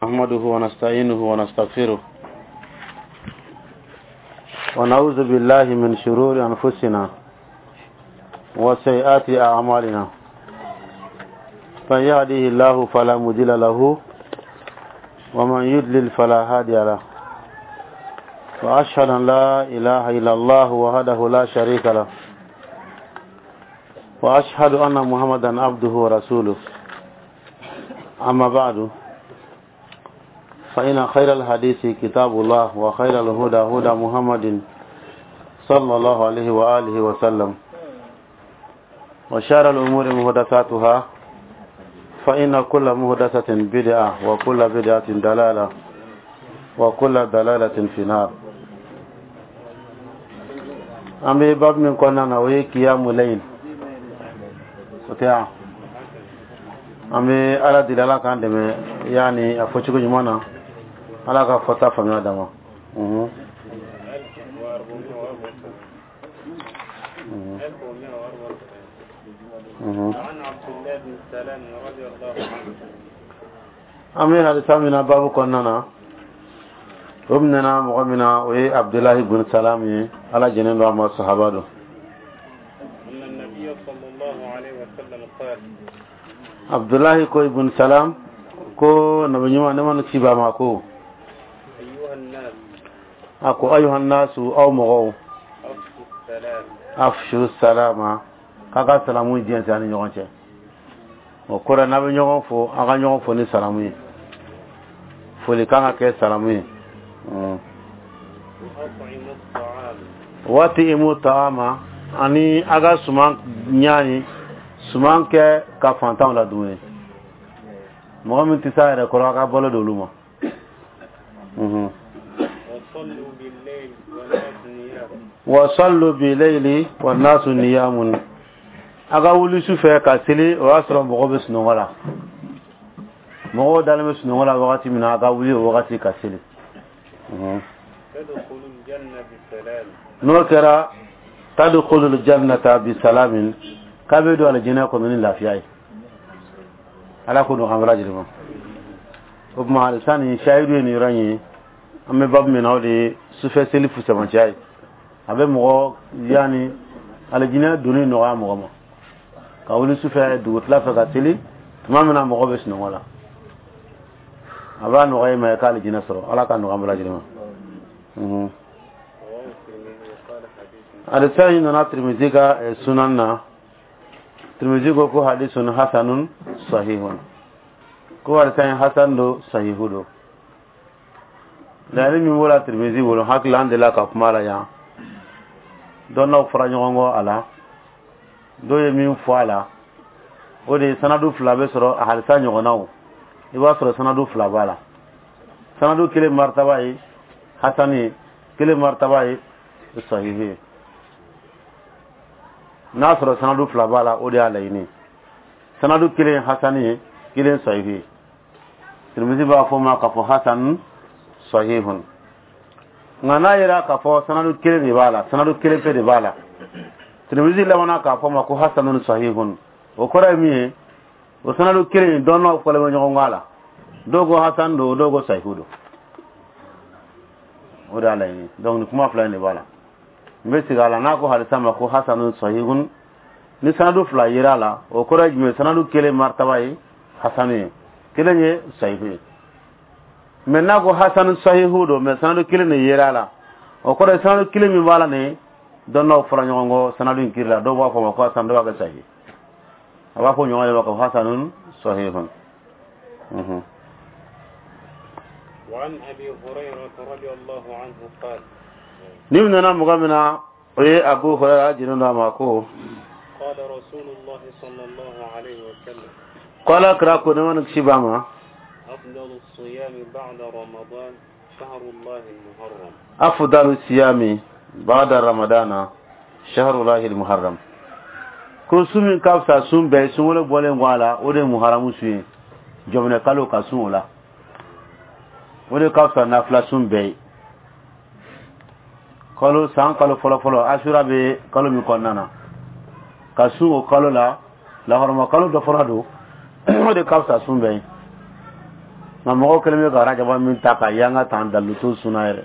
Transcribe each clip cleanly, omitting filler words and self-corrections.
نحمده ونستعينه ونستغفره ونعوذ بالله من شرور أنفسنا وسيئات أعمالنا، من يهده الله فلا مضل له ومن يضلل فلا هادي له، وأشهد أن لا إله إلا الله وحده لا شريك له، وأشهد أن محمدا عبده ورسوله. أما بعد، فإن خير الحديث كتاب الله، وخير الهدى هدى محمد صلى الله عليه وآله وسلم، وشار الأمور محدثاتها، فإن كل محدثة بدعة، وكل بدعة دلالة، وكل دلالة في النار. An bɛ babu min kɔnɔna na, o ye kiyamu layl, o tɛ yan. An bɛ Ala deli, Ala k'an dɛmɛ yaani a fɔcogo ɲuman na, Ala ka fɔta faamuya d'an ma. An bɛ hadisa min na babu kɔnɔna na, o minɛna mɔgɔ min na, o ye Abdulahi bun Salam ye, Ala jɛnnen don a ma, sahaba don. Abdulahi ko, ibn Salam ko, nabi ɲuman, ne ma ci ba ma, ko a ko: ayuha nasu, aw mɔgɔw, afshu salama, k'a ka salamu jɛnsɛn ani ɲɔgɔn cɛ. O kɔrɔ, n'a bɛ ɲɔgɔn fo, an ka ɲɔgɔn fo ni salamu ye. Foli kan ka kɛ salamu ye. Waati imu taama, ani a ka suman ɲaani, suman kɛ ka fantanw la dumuni. Mɔgɔ min tɛ s'a yɛrɛ kɔrɔ, a ka balo d'olu ma. Wa sallu bi layli wa nasu niyamun, a ka wuli su fɛ ka seli, o y'a sɔrɔ mɔgɔ bɛ sunɔgɔ la. Mɔgɔw dalen bɛ sunɔgɔ la wagati min na, a ka wuli o wagati ka seli. N'o kɛra, tadkhulul jannata bi salamin, k'a bɛ don alijinɛ kɔnɔ ni lafiya ye. Ala ko don an bɛɛ lajɛlen ma. O tuma, halisa nin sayidu ye nin yɔrɔ in ye. An bɛ babu min na, o de ye sufɛ seli fusamanciya ye. A bɛ mɔgɔ yaani alijinɛ donni nɔgɔya mɔgɔ ma, ka wuli sufɛ dugutila fɛ ka seli tuma min na mɔgɔ bɛ sunɔgɔ la. A b'a nɔgɔya i ma i ka alijinɛ sɔrɔ. Ala ka nɔgɔya an bɛɛ lajɛlen ma. Hadisa in nana Tirimizi ka sunan na. Tirimizi ko ko hadisun hasanun sahihun, ko hadisa in hasan do, sahihu do. Laɲini min b'o la Tirimizi bolo, hakili an delila ka kuma la yan, dɔnnaw fɔra ɲɔgɔn kɔ a la. Dɔw ye min fɔ a la, o de ye sanadu fila bɛ sɔrɔ a hadisa ɲɔgɔnnaw. I b'a sɔrɔ sanadu fila b'a la, sanadu kelen martaba ye hasani ye, kelen martaba ye sahihi ye. N'a sɔrɔ sanadu fila b'a la, o de y'a laɲini, sanadu kelen hasani ye, kelen sahihi ye. Tirimizi b'a fɔ ma k'a fɔ hasan sahihun. Nka n'a yera k'a fɔ sanadu kelen de b'a la, sanadu kelen pe de b'a la, Tirimizi labanna k'a fɔ ma ko hasanun sahihun. O kɔrɔ ye min ye, o sanadu kelen, dɔnnaw fɔlen bɛ ɲɔgɔn kɔ a la. Dɔw ko hasan don, dɔw ko sahihu don. O de y'a laɲini. Donc nin kuma fila in de b'a la. N bɛ segin a la: n'a ko hadisa ma ko hasanun sahihun, ni sanadu fila yera a la, o kɔrɔ ye jumɛn? Sanadu kelen martaba ye hasanu ye, kelen ye sahihu ye. Mais n'a ko hasanu sahihu don, mais sanadu kelen de yera a la, o kɔrɔ ye sanadu kelen min b'a la nin, dɔnnaw fɔra ɲɔgɔn kɔ sanadu in kiri la. Dɔw b'a fɔ ma ko hasan, dɔw b'a kɛ sahihi. A b'a fɔ ɲɔgɔn ye ma ko hasanun sahihun. وعن أبي هريرة رضي الله عنه قال: Ni nana mɔgɔ min na, o ye Abu Hurayra jinin dɔ ma, ko: قال رسول الله صلى الله عليه وسلم: Ko Ala kira ko, ne ma kisi b'a ma: أفضل الصيام بعد رمضان شهر الله المحرم. أفضل الصيام بعد رمضان شهر الله المحرم. Ko sun min ka fisa sun bɛɛ sunkalo bɔlen kɔ a la, o de ye muharamu sun ye, jɔminɛ kalo, ka sun o la, o de ka fisa nafila sun bɛɛ ye. Kalo san kalo fɔlɔ fɔlɔ, asura bɛ kalo min kɔnɔna na, ka sun o kalo la, lahɔrɔma kalo dɔ fɔlɔ don, o de ka fisa sun bɛɛ ye. Nka mɔgɔw kɛlen bɛ ka rajaba min ta ka yanga tan daluto suna yɛrɛ,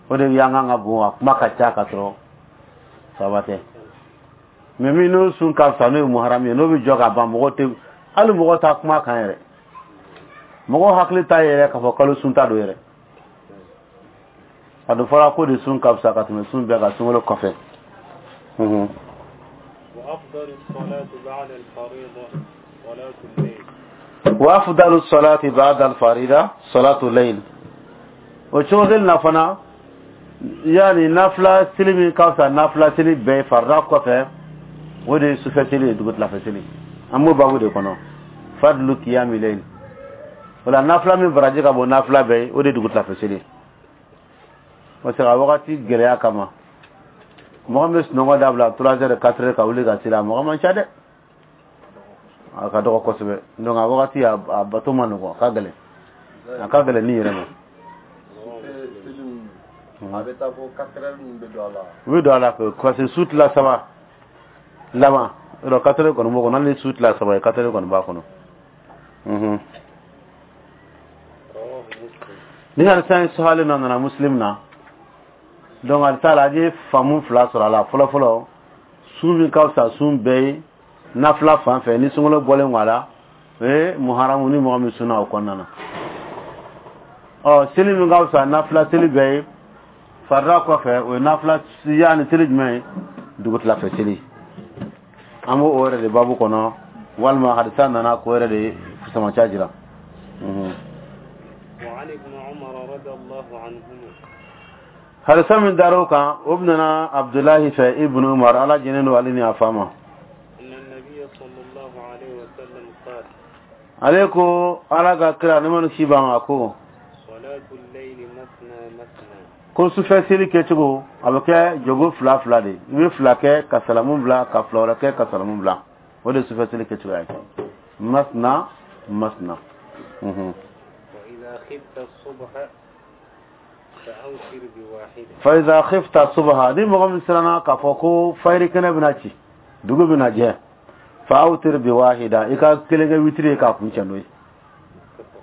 o de yanga ka bon, a kuma ka ca ka sɔrɔ saba tɛ. Mais min n'o sun ka fisa, n'o ye muharram ye, n'o bɛ jɔ ka ban, mɔgɔ tɛ hali mɔgɔ t'a kuma kan yɛrɛ, mɔgɔ hakili t'a yɛrɛ k'a fɔ kalo sun ta don yɛrɛ. A dun fɔra ko de sun ka fisa ka tɛmɛ sun bɛɛ kan sunkalo kɔfɛ. Wa afdalu salati ba'da al-farida salatu layl. O cogo kelen na fana, yani nafila seli min ka fisa nafila seli bɛɛ farida kɔfɛ, o de ye sufɛ seli ye, dugutilafɛ seli. An b'o baabu de kɔnɔ, fadlu qiyami layl. O la nafila min baraji ka bon nafila bɛɛ ye, o de ye dugutilafɛ seli. Parce que a wagati gɛlɛya kama, mɔgɔ min bɛ sunɔgɔ dabila 3 heures, 4 heures ka wuli ka seli, a mɔgɔ man ca dɛ, a ka dɔgɔ kosɛbɛ. Donc a wagati a bato ma nɔgɔn, a ka gɛlɛn, a ka gɛlɛn ni yɛrɛ ma. A bɛ taa fo 4 heures ninnu bɛ don a la. U bɛ don a la parce que su tila saba laban yɔrɔ 4 heures kɔni b'o kɔnɔ, hali ni su tila saba ye, 4 heures kɔni b'a kɔnɔ. Ni hadisa in sahalen nɔ nana Muslim na, donc hadisa la an ye faamu fila sɔrɔ a la. Fɔlɔ fɔlɔ, sun min ka fisa sun bɛɛ ye nafila fan fɛ ni sunkalo bɔlen kɔ a la, o ye muharamu ni mɔgɔ min sunna o kɔnɔna na. Ɔ seli min ka fisa nafila seli bɛɛ ye farida kɔfɛ, o ye nafila yaani seli jumɛn ye? Dugutilafɛ seli. An b'o o yɛrɛ de baabu kɔnɔ, walima hadisa nana k'o yɛrɛ de fusamanciya jira. Hadisa min dar'o kan, o nana Abdulahi fɛ, Ibn Umar, Ala jɛnnen don ale ni a fa ma. Ale ko Ala ka kira ne ma si b'a ma ko ko sufɛ seli kɛcogo a bɛ kɛ jogo fila fila de, i bɛ fila kɛ ka salamu bila, ka fila wɛrɛ kɛ ka salamu bila, o de ye sufɛ seli kɛcogoya ye. Masna masna. Fa iza khifta subha, ni mɔgɔ min siranna k'a fɔ ko fayiri kɛnɛ bɛna ci, dugu bɛna jɛ, fa awtir bi wahida, i ka kelen kɛ witiri ye k'a kun cɛ n'o ye,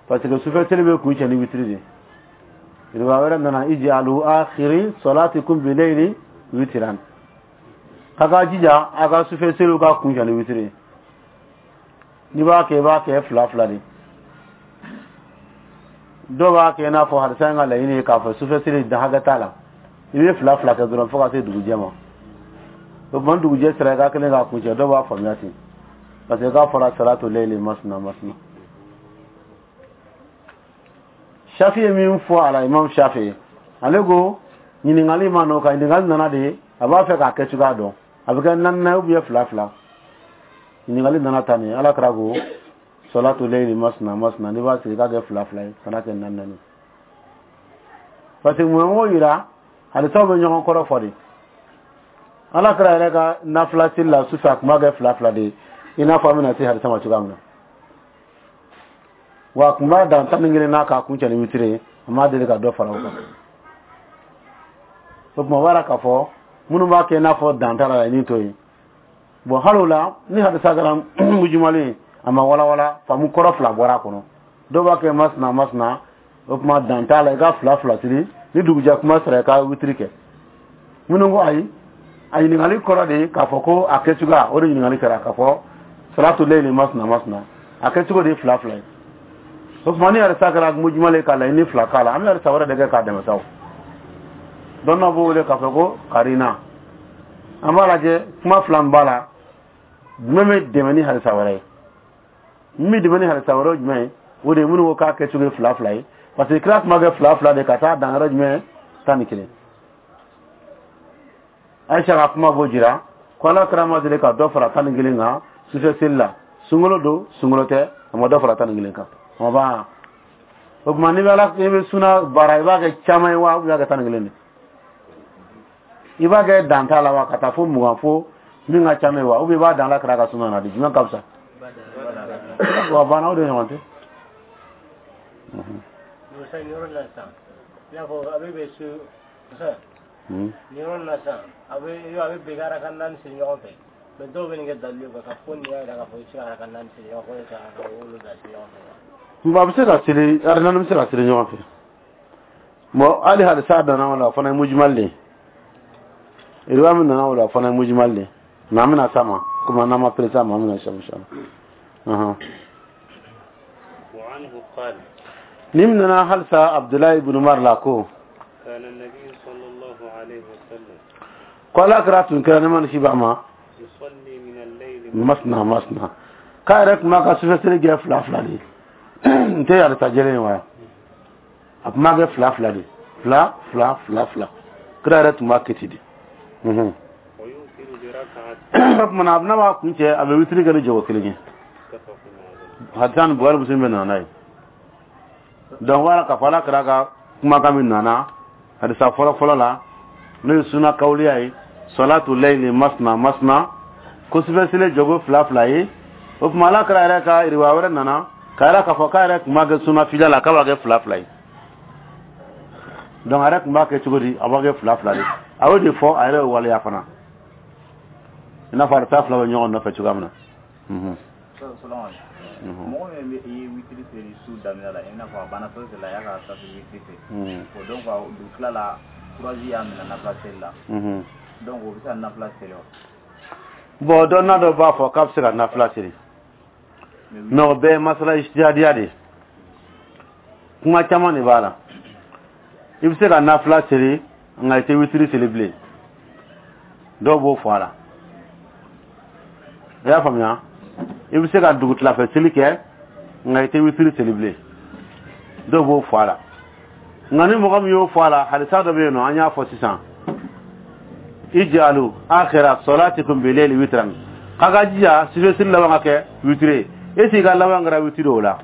parce que sufɛ seli bɛ kun cɛ ni witiri de ye. Riwaya wɛrɛ nana ij'alu akhiri salatikum bi layli witran, k'a ka jija a ka sufɛ seliw ka kun cɛ ni witiri ye. N'i b'a kɛ, i b'a kɛ fila fila de. Dɔw b'a kɛ i n'a fɔ hadisa in ka laɲini ye k'a fɔ sufɛ seli dan hakɛ t'a la, i bɛ fila fila kɛ dɔrɔn fo ka se dugujɛ ma. O tuma dugujɛ sera, i ka kelen k'a kuncɛ. Dɔw b'a faamuya ten, parce que k'a fɔra salatu layli masna masna. Shafi ye min fɔ a la, Imam Shafi, ale ko ɲininkali ma n'o kan, ɲininkali nana de a b'a fɛ k'a kɛ cogoya dɔn, a bɛ kɛ naani naani ou bien fila fila. Ɲininkali nana tan de, Ala kira ko salatu layli masna masna, n'i b'a sigi i k'a kɛ fila fila ye, kana kɛ naani naani. Parce que mun y'o yira, hadisaw bɛ ɲɔgɔn kɔrɔ fɔ de. Ala kira yɛrɛ ka nafila seli la sufɛ, a tun b'a kɛ fila fila de ye, i n'a fɔ an bɛna se hadisa ma cogoya min na. Wa a tun b'a dan 11 n'a k'a kun cɛ ni witiri ye, a m'a deli ka dɔ fara o kan. O tuma o b'a yira k'a fɔ minnu b'a kɛ i n'a fɔ dan t'a la, laɲini t'o ye. Bon, hali o la, ni hadisa kɛra mujumalen ye, a ma walawala, faamu kɔrɔ fila bɔra a kɔnɔ. Dɔw b'a kɛ masina masina, o tuma dan t'a la, i ka fila fila seli, ni dugujɛ kuma sera i ka witiri kɛ. Minnu ko ayi, a ɲininkali kɔrɔ de ye k'a fɔ ko a kɛcogoya, o de ɲininkali kɛra k'a fɔ salatu layli masina masina, a kɛcogo de ye fila fila ye. O tuma ni hadisa kɛra mujumalen k'a laɲini fila k'a la, an bɛ hadisa wɛrɛ de kɛ k'a dɛmɛ sa. O dɔnniyaw b'o wele k'a fɔ ko karina. An b'a lajɛ kuma fila min b'a la, jumɛn bɛ dɛmɛ ni hadisa wɛrɛ ye? Min bɛ dɛmɛ ni hadisa wɛrɛ ye jumɛn ye? O de ye minnu ko k'a kɛcogo ye fila fila ye, parce que kira tun b'a kɛ fila fila de ka taa dan yɔrɔ jumɛn? 11. Aisha ka kuma b'o jira ko Ala kira ma deli ka dɔ fara 11 kan sufɛ seli la, sunkalo don sunkalo tɛ, a ma dɔ fara 11 kan. A ma ban. O tuma n'i bɛ Ala, n'i bɛ suna baara, i b'a kɛ caman ye wa, i b'a kɛ 11 de? I b'a kɛ dan t'a la wa, ka taa fo 20, fo min ka ca n'o ye wa, ou bien i b'a dan Ala kira ka suna na de, jumɛn ka fisa? Wa banna, o de ɲɔgɔn tɛ. Nin yɔrɔ la sisan, i n'a fɔ a bɛ bɛn su nin yɔrɔ la sisan, a bɛ bɛn araka naani siri ɲɔgɔn fɛ, mais dɔw bɛ nin kɛ dalilu ye k'a fɔ ko nin y'a jira k'a fɔ i bɛ se ka araka naani siri ɲɔgɔn fɛ, ka araka wolonwula siri ɲɔgɔn fɛ. Bon, a bɛ se ka seli, ari naani bɛ se ka seli ɲɔgɔn fɛ. Bon, hali hadisa nana o la, o fana ye mujimal de ye. Riwaya min nana o la, o fana ye mujimal de ye. Mais an bɛna s'a ma, komi n'an ma pressé a ma, an bɛna s'a ma inshallah. وعنه قال Ni min nana halisa Abdullahi ibn Umar la ko كان النبي صلى الله عليه وسلم ko ala kɛra tun kɛra ne ma ni si ba ma يصلي من الليل masna masna, k'a yɛrɛ tun b'a ka sufɛ seli kɛ fila fila de ye. N tɛ hadisa jɛlen ye wa, a tun b'a kɛ fila fila de, fila fila fila fila, kira yɛrɛ tun b'a kɛ ten de. ويوتر بركعة. O tuma na, a bɛna b'a kun cɛ, a bɛ witiri kɛ ni jɔgo kelen ye. متفق عليه. Hadisa ni Buhari, Muslim bɛ nana n'a ye. Donc wala k'a fɔ ala kɛra ka kumakan min nana hadisa fɔlɔ fɔlɔ la, n'o ye suna kawuliya ye, salatu layli masna masna, ko sufɛ seli jɔgo fila fila ye. O tuma ala kɛra yɛrɛ ka riwaya wɛrɛ nana k'a yɛrɛ k'a fɔ k'a yɛrɛ tun b'a kɛ suna fila la, k'a b'a kɛ fila fila ye. Donc a yɛrɛ tun b'a kɛ cogo di? A b'a kɛ fila fila de. A y'o de fɔ, a yɛrɛ ye waleya fana, i n'a fɔ a bɛ taa fila bɛ ɲɔgɔn nɔfɛ cogoya min na. Mɔgɔ min bɛ i ye witiri seli su daminɛ la, i n'a fɔ a banna fɛn o fɛn la, a y'a ka safi witiri seli o, donc dugu tila la, courage y'a minɛ nafila seli la, donc o bɛ se ka nafila seli wa? Bon, dɔnna dɔ b'a fɔ k'a bɛ se ka nafila seli, mais o bɛɛ ye masala ijtihadiya de ye, kuma caman de b'a la. I bɛ se ka nafila seli, nka i tɛ witiri seli bilen, dɔw b'o fɔ a la. I y'a faamuya? I bɛ se ka dugutilafɛ seli kɛ, nka i tɛ witiri seli bilen, dɔw b'o fɔ a la. Nka ni mɔgɔ min y'o fɔ a la, hadisa dɔ bɛ yen nɔ, an y'a fɔ sisan, ij'alu akhira salatikum bilayli witran, k'a ka jija sufɛ seli laban ka kɛ witiri ye. E t'i ka laban kɛra witiri o la.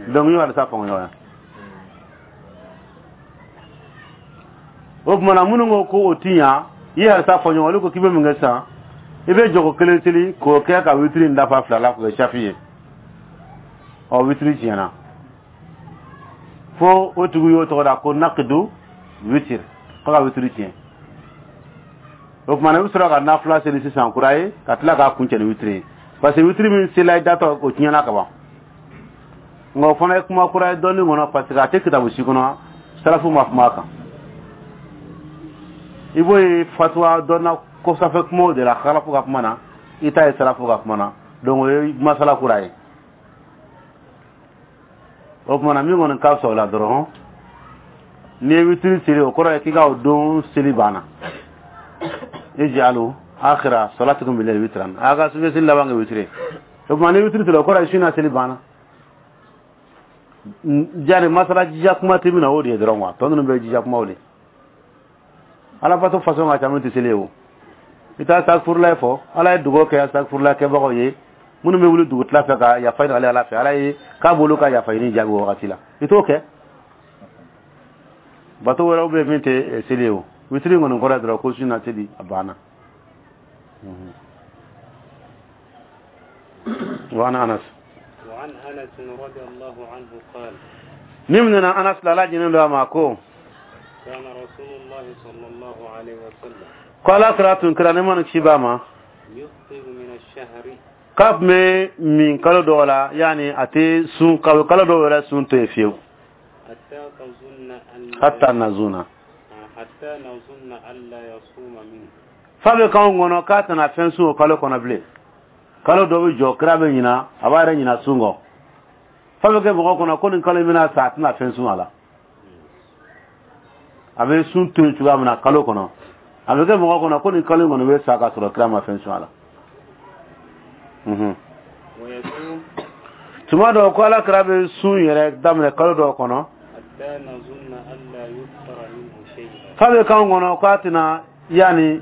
Donc n y'o hadisa faamu ɲɔgɔn na. O tuma na, minnu ko ko o ti ɲa, i ye hadisa fɔ ɲɔgɔn, olu ko k'i bɛ mun kɛ sisan? I bɛ jɔgo kelen seli k'o kɛ ka witiri in dafa fila la, k'o kɛ safi ye. Ɔ, witiri tiɲɛna fo o tigi y'o tɔgɔ da ko nakidu witiri, ko ka witiri tiɲɛ. O tuma na, i bɛ sɔrɔ ka nafila seli sisan kura ye, ka tila k'a kuncɛ ni witiri ye, parce que witiri min sela i datɔ, o tiɲɛna ka ban. Nka o fana ye kuma kura ye dɔɔnin kɔnɔ, parce que a tɛ kitabu si kɔnɔ, salafu ma kuma a kan. I b'o ye fatuwa dɔnna kɔsafɛ kumaw de la, salafu ka kuma na, i ta ye salafu ka kuma na. Donc o ye masala kura ye. O tuma na, min kɔni ka fisa o la dɔrɔn, n'i ye witiri seli, o kɔrɔ ye k'i ka o don seli banna. Ij'alu akhira salatikum bilayli witran, a ka sufɛ seli laban kɛ witiri. O tuma ni witiri seli, o kɔrɔ ye su na seli banna. Jari masala jija kuma tɛ min na, o de ye dɔrɔn quoi. Tɔ ninnu bɛɛ ye jija kumaw de. Ala bato façon ka ca min tɛ seli ye. O i taa astagfirulayi fɔ, ala ye dugawu kɛ astagfirulayi kɛbagaw ye, minnu bɛ wuli dugutila fɛ ka yafa ɲini ale ala fɛ, ala ye k'a b'olu ka yafa ɲini jaabi o wagati la. I t'o kɛ, bato wɛrɛw bɛ min tɛ seli ye. O witiri kɔni kɔrɔ ye dɔrɔn ko su na seli a banna. وعن أنس وعن أنس رضي الله عنه قال نمنا أنس لا جنين ما كو كان رسول الله صلى الله عليه وسلم قال أكرات كرا نمان كشباما يفطر من الشهر k'a tun bɛ min kalo dɔw la, yanni a tɛ sun kalo kalo dɔw yɛrɛ sun to yen fiyewu. حتى تظن أن Hatta nazuna حتى نظن ألا يصوم منه. Fa bɛ k'anw kɔnɔ k'a tɛna fɛn sun o kalo kɔnɔ bilen. Kalo dɔ bɛ jɔ, kira bɛ ɲina, a b'a yɛrɛ ɲina sun kɔ, fa bɛ kɛ mɔgɔ kɔnɔ ko nin kalo in bɛna sa, a tɛna fɛn sun a la. A bɛ sun to yen cogoya min na kalo kɔnɔ, a bɛ kɛ mɔgɔ kɔnɔ ko nin kalo in kɔni bɛ sa ka sɔrɔ kira ma fɛn sun a la. ويصوم Tuma dɔw ko ala kira bɛ sun yɛrɛ daminɛ kalo dɔw kɔnɔ حتى نظن ألا يفطر منه شيئا. Fa bɛ k'anw kɔnɔ k'a tɛna, yanni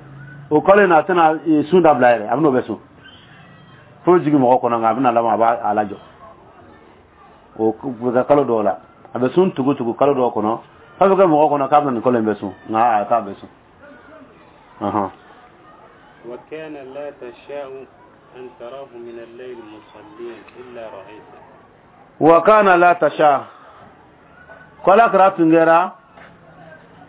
o kalo in na, a tɛna sun dabila yɛrɛ, a bɛn'o bɛ sun fo jigin mɔgɔ kɔnɔ, nka a bɛna laban a b'a a lajɔ. O bɛ kɛ kalo dɔw la, a bɛ sun tugu tugu kalo dɔw kɔnɔ, fa bɛ kɛ mɔgɔ kɔnɔ k'a bɛna nin kalo in bɛ sun, nka a k'a bɛ sun. وكان لا تشاء أن تراه من الليل مصليا إلا رأيته. Wa kana la tasha, ko ala kɛra tun kɛra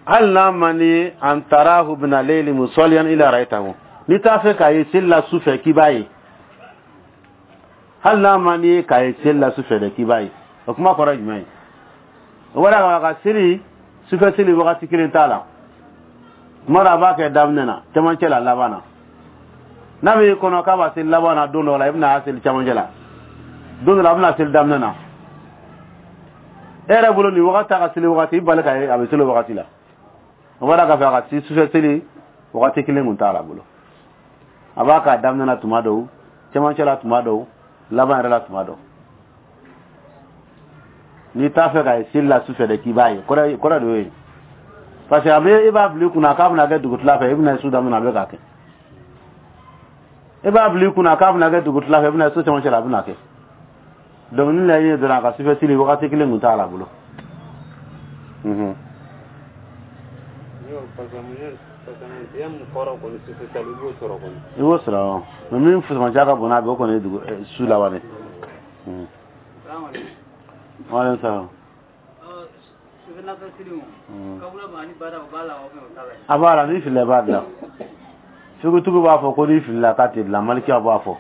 hali n'a man di, an tarahu min layli musalliyan ila ra'aytahu, n'i t'a fɛ k'a ye seli la su fɛ k'i b'a ye, hali n'a man di ye k'a ye seli la su fɛ dɛ, k'i b'a ye. O kuma kɔrɔ ye jumɛn ye? O b'a ka seli sufɛ seli wagati kelen t'a la. Tuma dɔ a b'a kɛ daminɛ na, cɛmancɛ la, laban na. N'a b'i kɔnɔ k'a b'a seli laban na don dɔ la, i bɛna a seli cɛmancɛ la. Don dɔ la a bɛna seli daminɛ na. E yɛrɛ bolo nin wagati a ka seli wagati, i bali ka ye a bɛ seli o wagati la. O b'a k'a fɛ a ka sufɛ seli wagati kelen kun t'a la bolo. A b'a k'a daminɛ na tuma dɔw, cɛmancɛ la tuma dɔw, laban yɛrɛ la tuma dɔw. N'i t'a fɛ ka ye seli la sufɛ dɛ, k'i b'a ye, kɔrɔ de y'o ye. Parce que a bɛ e b'a bila i kunna k'a bɛna kɛ dugutila fɛ, i bɛna su daminɛ a bɛ k'a kɛ. E b'a bila i kunna k'a bɛna kɛ dugutila fɛ, i bɛna su cɛmancɛ la a bɛna kɛ. Donc ni laɲini ye dɔrɔn a ka sufɛ seli wagati kelen kun t'a la bolo. I b'o sɔrɔ, mais min fusamanciya ka bon n'a bɛɛ, o kɔni ye dugu su laban de. Waaleykum salaam. A b'a la, n'i filila i b'a dilan. Figutigiw b'a fɔ ko n'i filila k'a tɛ dilan, malikiyaw b'a fɔ.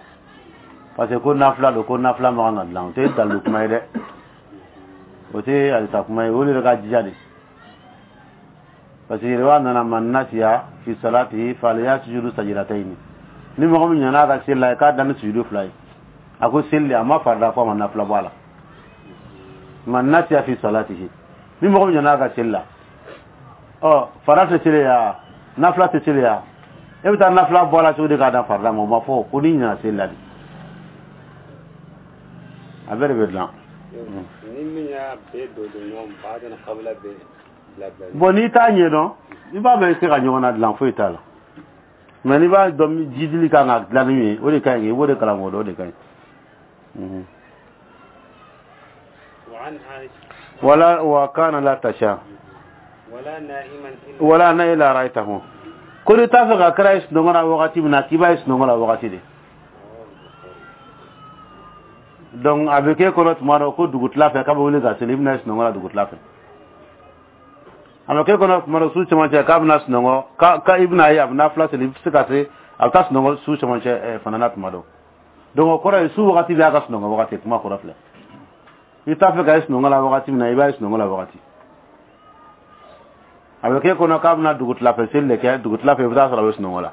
Parce que ko nafila don, ko nafila man kan ka dilan. O tɛ dalilu kuma ye dɛ. O tɛ halisa kuma ye, o de ka jija de. Parce que riwaya nana man nasiya fi salatihi falyasjudu sajdatayni. Ni mɔgɔ min ɲinɛna a ka seli la, k'a da ni sujudu fila ye. A ko seli a ma farida fɔ a ma nafila bɔ a la. Man nasiya fi salatihi. Ni mɔgɔ min ɲinɛna a ka seli la, ɔ farida tɛ seli ya, nafila tɛ seli ya. E bɛ taa nafila bɔ a la cogo di k'a da farida ma? O ma fɔ ko n'i ɲinɛna seli la de. A bɛɛ de bɛ dilan. Ni min y'a bɛɛ don ɲɔgɔn ba kabila bɛɛ bila bila. Bon, n'i t'a ɲɛdɔn, i b'a bɛɛ se ka ɲɔgɔn na dilan, foyi t'a la. Mais n'i b'a dɔn jidili kan ka dilan ni min ye, o de ka ɲi, i b'o de kalan k'o dɔn, o de ka ɲi. Wala wa kana la tasha. Wala na ila ra'aytahu. Ko n'i t'a fɛ ka kira ye sunɔgɔ la wagati min na, k'i b'a ye sunɔgɔ la wagati de. Donc a bɛ k'e kɔnɔ tuma dɔ ko dugutila fɛ k'a bɛ wuli ka seli, i bɛna ye sunɔgɔ la dugutila fɛ. A bɛ k'e kɔnɔ tuma dɔ su cɛmancɛ k'a bɛna sunɔgɔ, k'a i bɛna ye a bɛ nafila seli, i bɛ se ka se a bɛ taa sunɔgɔ su cɛmancɛ fana na tuma dɔ. Donc o kɔrɔ ye su wagati bɛ a ka sunɔgɔ wagati, kuma kɔrɔ filɛ. I t'a fɛ ka ye sunɔgɔ la wagati min na, i b'a ye sunɔgɔ la wagati. A bɛ k'e kɔnɔ k'a bɛna dugutila fɛ seli de kɛ, dugutila fɛ i bɛ taa sɔrɔ a bɛ sunɔgɔ la.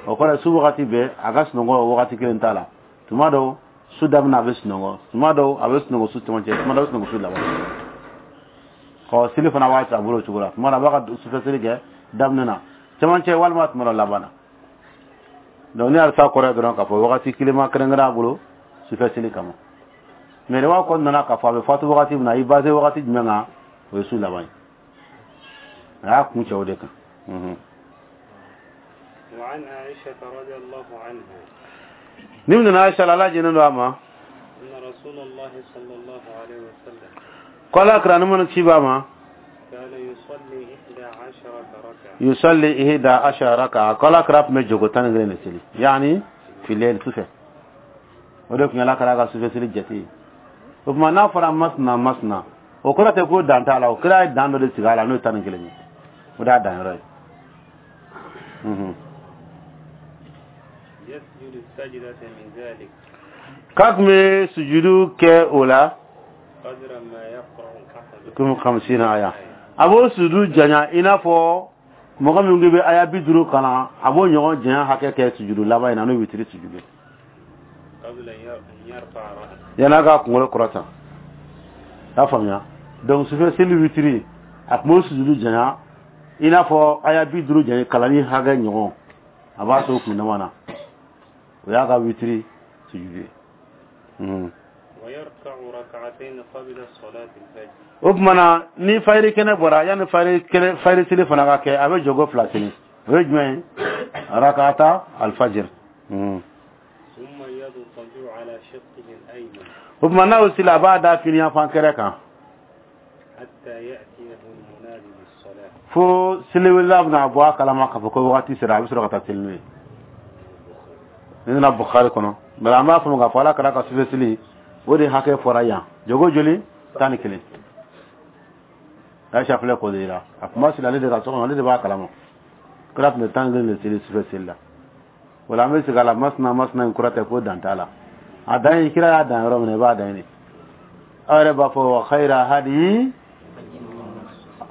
O kɔrɔ ye su wagati bɛɛ a ka sunɔgɔ wagati kelen t'a la. Tuma dɔw su daminɛ a bɛ sunɔgɔ, tuma dɔw a bɛ sunɔgɔ su cɛmancɛ, tuma dɔw a bɛ sunɔgɔ su laban. Ɔ seli fana b'a a bolo o cogo la, tuma dɔ a b'a ka sufɛ seli kɛ daminɛ na, cɛmancɛ walima tuma dɔ laban na. Donc ni halisa kɔrɔ ye dɔrɔn k'a fɔ wagati kelen ma kɛrɛnkɛrɛn a bolo sufɛ seli kama. Mais riwaya kɔni nana k'a fɔ a bɛ fatu wagati min na, i basé wagati jumɛn kan, o ye su laban ye. A y'a kun cɛ o de kan. وعن عائشة رضي الله عنها. Ni min nana Aisha la, Ala jɛnnen don a ma. أن رسول الله صلى الله عليه وسلم. Ko Ala kira ni mana ci b'a ma. كان يصلي 11 ركعة. يصلي 11 ركعة. Ko Ala kira tun bɛ jogo 11 de seli. Yani fi layl sufɛ. O de tun ye Ala kira ka sufɛ seli jate ye. O tuma n'a fɔra masina masina, o kɔrɔ tɛ ko dan t'a la, o kira ye dan dɔ de sigi a la n'o ye 11 ye. O de y'a dan yɔrɔ ye. يسجد السجدة من ذلك. K'a tun bɛ sujudu kɛ o la. قدر ما يقرأ أحدكم. Komi 50 aya. A b'o sujudu janya i n'a fɔ mɔgɔ min bɛ aya 50 kalan, a b'o ɲɔgɔn janya hakɛ kɛ sujudu laban in na, n'o ye witiri sujudu ye. قبل أن يرفع رأسه. Yan'a k'a kunkolo kɔrɔta. I y'a faamuya? Donc sufɛ seli witiri, a tun b'o sujudu janya i n'a fɔ aya 50 janya kalanni hakɛ ɲɔgɔn, a b'a to kun dama na. O y'a ka witiri sujudu ye. ويركع ركعتين قبل صلاة الفجر. O tuma na ni fayiri kɛnɛ bɔra, yanni fayiri seli fana ka kɛ, a bɛ jogo fila seli. O ye jumɛn ye? Rakata alfajir. ثم يضطجع على شقه الأيمن. O tuma n'a y'o seli, a b'a da fini yanfan kɛrɛ kan. حتى يأتيه المنادي بالصلاة. Fo seliwelila bɛna bɔ a kalama k'a fɔ ko wagati sera, a bɛ sɔrɔ ka taa seli n'o ye. Ni nana Bukhari kɔnɔ, mais an b'a faamu k'a fɔ Ala kira ka sufɛ seli, o de hakɛ fɔra yan. Jogo joli? 11. Aisha filɛ k'o de yira. A tun b'a seli ale de ka so kɔnɔ, ale de b'a kalama. Kira tun bɛ 11 de seli sufɛ seli la. O la an bɛ segin a la, masina masina in kɔrɔ tɛ ko dan t'a la. A dan ye kira y'a dan yɔrɔ min na, i b'a dan yen de. Aw yɛrɛ b'a fɔ wa khayra hadi.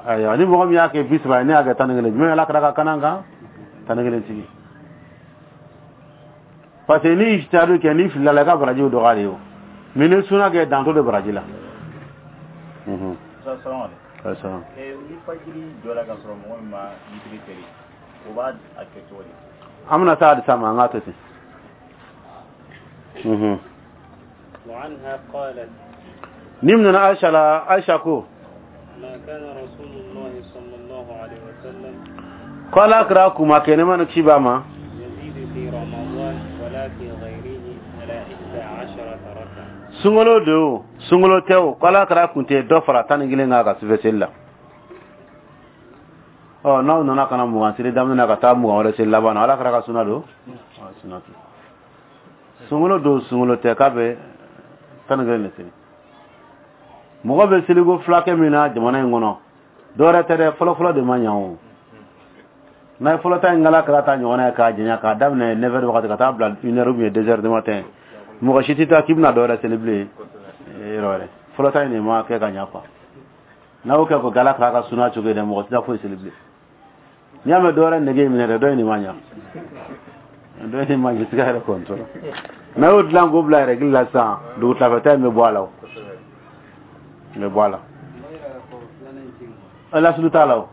Ayiwa, ni mɔgɔ min y'a kɛ 30 ye, ne y'a kɛ 11, jumɛn Ala kɛra ka kanan kan 11 tigi? Parce que ni ijtihadu kɛ, ni filila la, i ka barajiw dɔgɔya de ye o. Mais ni suna kɛ, danto de baraji la. Salamu. Ni fajiri jɔra ka sɔrɔ mɔgɔ min ma witiri seli, o b'a a kɛ cogo di? An bɛna taa hadisa ma, an k'a to ten. وعنها قالت Ni minɛna Aisha la, Aisha ko: ما كان رسول الله صلى الله عليه وسلم ko Ala kira kuma kɛ ne ma ni ci ba ma يزيد في رمضان ولا في غيره على 11 ركعة. Sunkalo de o, sunkalo tɛ o, ko Ala kira kun tɛ dɔ fara 11 kan ka sufɛ seli la. Ɔ, n'aw nana ka na 20 seli daminɛ na ka taa 20 wɛrɛ seli laban na, Ala kira ka suna don, suna tɛ. Sunkalo don, sunkalo tɛ, k'a bɛ 11 de seli. Mɔgɔ bɛ seliko fila kɛ min na jamana in kɔnɔ, dɔwɛrɛ tɛ dɛ, fɔlɔfɔlɔ de ma ɲa o. N'a ye fɔlɔ ta in kala kɛra ta ɲɔgɔnna ye k'a janya, k'a daminɛ 9 heures wagati ka taa bila 1 heure ou bien 2 heures du matin, mɔgɔ si tɛ taa k'i bɛna dɔwɛrɛ seli bilen yɔrɔ wɛrɛ. Fɔlɔ ta in de ma kɛ ka ɲa quoi. N'a y'o kɛ ko k'Ala kɛra ka suna cogo ye dɛ, mɔgɔ tɛ taa foyi seli bilen. N'i y'a mɛn dɔwɛrɛ nege minɛ dɛ, dɔ in de ma ɲa, dɔ in de ma ɲa, siga yɛrɛ kɔntɔ. N'a y'o dilan k'o bila règle la sisan, dugutilafɛta in bɛ bɔ a la o, bɛ bɔ a la. Lasulu t'a la o.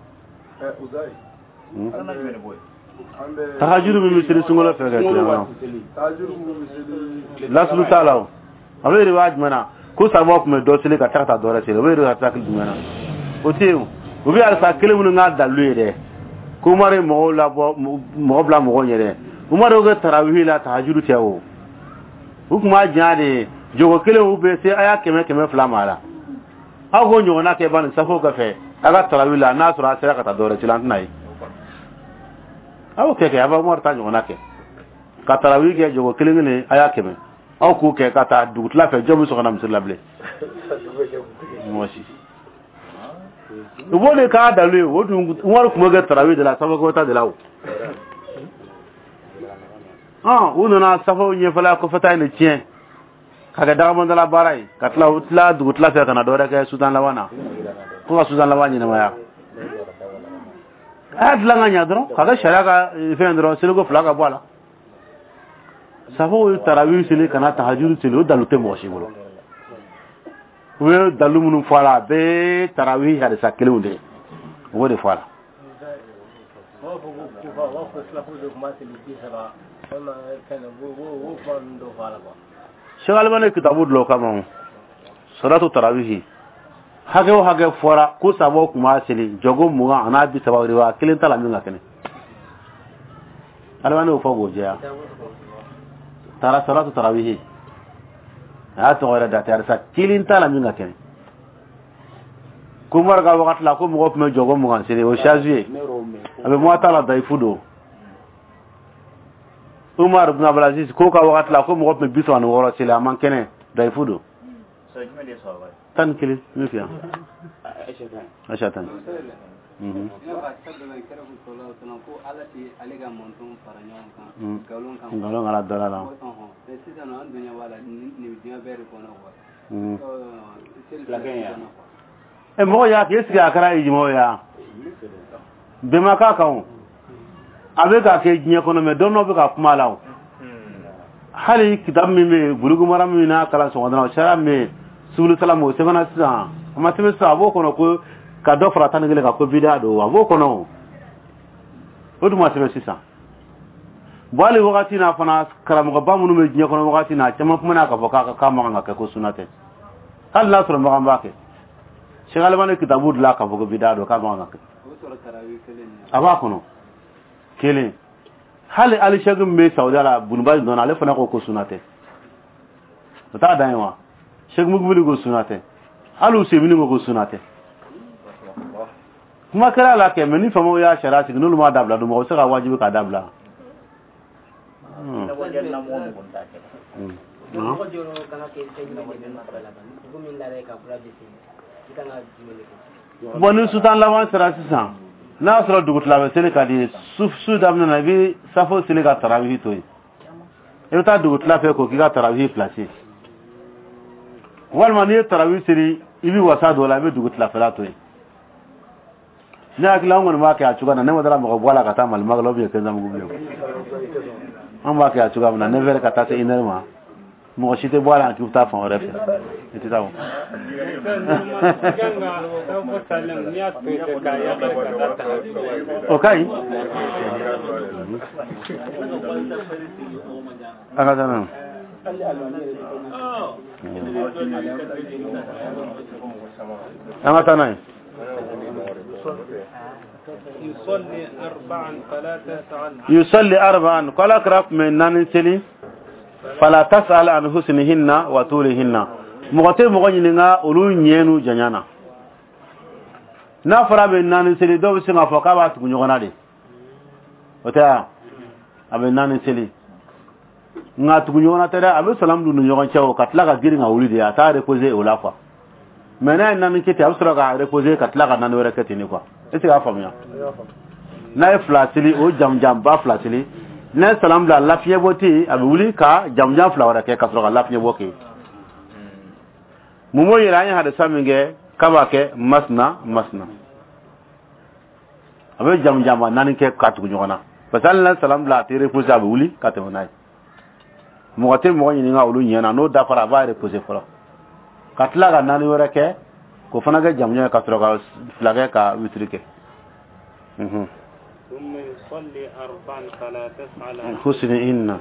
Tahajuru min bɛ seli sunkalo fɛ kɛ tiɲɛ, lasulu t'a la o. A bɛ riwaya jumɛn na ko sababu tun bɛ dɔ seli ka taa ka taa dɔ wɛrɛ seli? O bɛ riwaya hakili jumɛn na? O tɛ yen o. U bɛ alisa kelen minnu k'a dalilu ye dɛ, ko Umaru ye mɔgɔw labɔ, mɔgɔ bila mɔgɔw ɲɛ dɛ. Umaru y'o kɛ tarawihi la, tahajuru tɛ o. U tun b'a janya de, jogo kelen u bɛ se a y'a 100 200 ma la. Aw k'o ɲɔgɔnna kɛ bani safo kɔfɛ a ka tarawihi la, n'a sɔrɔ a sera ka taa dɔ wɛrɛ seli, an tɛna ye. A y'o kɛ, a b'a Umaru ta ɲɔgɔnna kɛ ka tarawihi kɛ jogo kelen kelen, a y'a 100, aw k'o kɛ ka taa dugutila fɛ, jɔn bɛ sɔn ka na misiri la bilen? Mɔgɔ si. U b'o de k'a dalu ye. O dun, Umaru tun b'o kɛ tarawihi de la, safo ta de la o. U nana safo ɲɛfɛla kɔfɛta in de tiɲɛ ka kɛ dagabɔndala baara ye, ka tila u tila dugutila fɛ ka na dɔwɛrɛ kɛ sutan laban na, ko ka sutan laban ɲɛnamaya. A y'a dilan ka ɲa dɔrɔn ka kɛ sariya ka fɛn dɔrɔn, seliko fila ka bɔ a la. Safo ye tarawihi seli ka na tahajuru seli, o dalu tɛ mɔgɔ si bolo. U bɛ dalu minnu fɔ a la, a bɛɛ tarawihi hadisa kelenw de ye, u b'o de fɔ a la. U b'a fɔ ko kufa, u b'a fɔ silafu de tun b'a seli 30 walima fɛn u b'o kuma ninnu dɔw fɔ a la quoi. Cheikh Albani kitabu dɔ kama o salatu tarawihi, hakɛ o hakɛ fɔra ko sababu tun b'a seli jɔgo 20 an'a 30, riwaya kelen t'a la min ka kɛnɛ. Albani y'o fɔ k'o jɛya. Tara salatu tarawihi, a y'a tɔgɔ yɛrɛ da tɛ, hadisa kelen t'a la min ka kɛnɛ. Ko Umaru ka wagati la, ko mɔgɔ tun bɛ jɔgo 20 seli, o shazu ye, a bɛ muwata la, dayifu don. Umar ibn Abdulaziz ko ka wagati la, ko mɔgɔ tun bɛ 36 seli, a man kɛnɛ, dayifu don. 11 min fi yan, Aisha tan. Ko Ala tɛ ale ka mantɔn fara ɲɔgɔn kan nkalon kan. Nkalon kana dala la. Sisan an dun ɲɛ b'a la nin diɲɛ bɛɛ de kɔnɔ quoi. Ɛ, mɔgɔ y'a kɛ, est ce que a kɛra ijima ye? Bɛn ma k'a kan o. A bɛ ka kɛ diɲɛ kɔnɔ, mɛ dɔn dɔ bɛ ka kuma la o. Hali kitabu min bɛ yen, Bulugu Mara min n'a kalan sɔgɔmada la, o sariya min bɛ yen, subulu salamu, o sɛbɛnna sisan, a ma sɛbɛn sisan, a b'o kɔnɔ ko ka dɔ fara 11 kan ko bidaa don, a b'o kɔnɔ o. O dun ma sɛbɛn sisan. Bon, hali wagati n'a fana, karamɔgɔba minnu bɛ diɲɛ kɔnɔ wagati n'a, caman kumana k'a fɔ k'a man kan ka kɛ, ko sunna tɛ, hali n'a sɔrɔ makan b'a kɛ. Cheikh Albani kitabu dilan k'a fɔ ko bidaa don, k'a man kan ka kɛ. A b'a kɔnɔ kelen. Hali Ali Cheikh min bɛ Saudiya la, Bunuba dɔn, ale fana ko ko sunna tɛ. O t'a dan ye wa? Cheikh Mukubili ko sunna tɛ, hali Usemini ko ko sunna tɛ. Kuma kɛra a la kɛ, mɛ ni faamaw y'a sariya sigi, n'olu m'a dabila dun, mɔgɔ bɛ se ka wajibi k'a dabila. Mɔgɔ jɔyɔrɔ kan ka kɛ fɛn jumɛn de bɛ masala la? Dugu min lara ka bura bɛ se, i kan ka jumɛn de kɛ? Bon, ni sutan laban sera sisan, n'a y'a sɔrɔ dugutila bɛ seli ka di ye, su daminɛ na, i bɛ safo seli ka tarawihi to yen, i bɛ taa dugutila fɛ k'o k'i ka tarawihi place. Walima n'i ye tarawi seli, i bɛ wasa don o la, i bɛ dugu tilafɛla to yen. Ne hakili an kɔni b'a kɛ a cogoya na. Ne ma dara mɔgɔ bɔ a la ka taa Malimaga la ou bien Kɛnzanbugu bilen. An b'a kɛ a cogoya min na, 9 heures ka taa se 1 heure ma, mɔgɔ si tɛ bɔ a la k'i bɛ taa fan wɛrɛ fɛ, i tɛ taa o. O ka ɲi. An ka taa n'a ye. An ka taa n'a ye. Yusalli arba'an, ko Ala kira tun bɛ naani seli. Fala tas'al an husnihinna wa tulihinna, mɔgɔ tɛ mɔgɔ ɲininka olu ɲɛ n'u janya na. N'a fɔra a bɛ naani seli, dɔw bɛ se k'a fɔ k'a b'a tugu ɲɔgɔn na de, o tɛ wa? A bɛ naani seli, nka tugu ɲɔgɔn na tɛ dɛ, a bɛ salamu don u ni ɲɔgɔn cɛ o, ka tila ka girin ka wuli de, a t'a reposer o la quoi. Mais n'a ye naani kɛ ten, a bɛ sɔrɔ ka reposer ka tila ka naani wɛrɛ kɛ ten de quoi. Est ce que y'a faamuya? N'a ye fila seli, o jamujanba fila seli, n'a ye salamu bila, lafiɲɛ bɔ tɛ yen, a bɛ wuli ka jamujan fila wɛrɛ kɛ ka sɔrɔ ka lafiɲɛ bɔ kɛ. Mun b'o yira? An ye hadisa min kɛ k'a b'a kɛ masina masina, a bɛ jamujanba naani kɛ ka tugu ɲɔgɔn na, parce que hali n'a ye salamu bila, a tɛ reposer, a bɛ wuli ka tɛmɛ n'a ye. Mɔgɔ tɛ mɔgɔ ɲininka olu ɲɛ na. N'o dafara, a b'a reposer fɔlɔ ka tila ka naani wɛrɛ kɛ, k'o fana kɛ jamujan ye, ka sɔrɔ ka fila kɛ ka witiri kɛ. Husnihinna,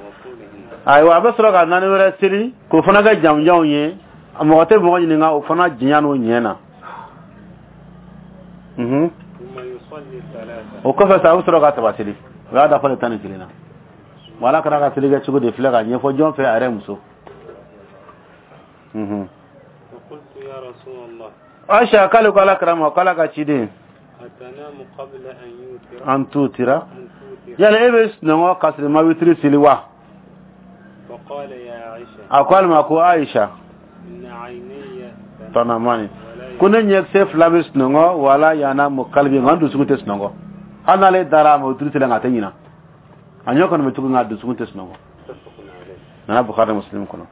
ayiwa, a bɛ sɔrɔ ka naani wɛrɛ seli, k'o fana kɛ jamujanw ye, mɔgɔ tɛ mɔgɔ ɲininka o fana janya n'o ɲɛ na. O kɔfɛ sa, a bɛ sɔrɔ ka saba seli, o y'a dafa de 11 na. Ala kɛra ka seli kɛ cogo de filɛ ka ɲɛfɔ jɔn fɛ? A yɛrɛ muso. Aisha k'ale ko Ala kira ma k'Ala ka ciden, an tutira, yala e bɛ sunɔgɔ ka sɔrɔ i ma witiri seli wa? A ko ale ma ko Aisha, tanamani, ko ne ɲɛkisɛ fila bɛ sunɔgɔ, wala yanamu kalbi, nka n dusukun tɛ sunɔgɔ. Hali n'ale dara a ma witiri seli, nka a tɛ ɲina, a ɲɛ kɔni bɛ tugu, nka a dusukun tɛ sunɔgɔ. Nana Bukhari Muslim kɔnɔ.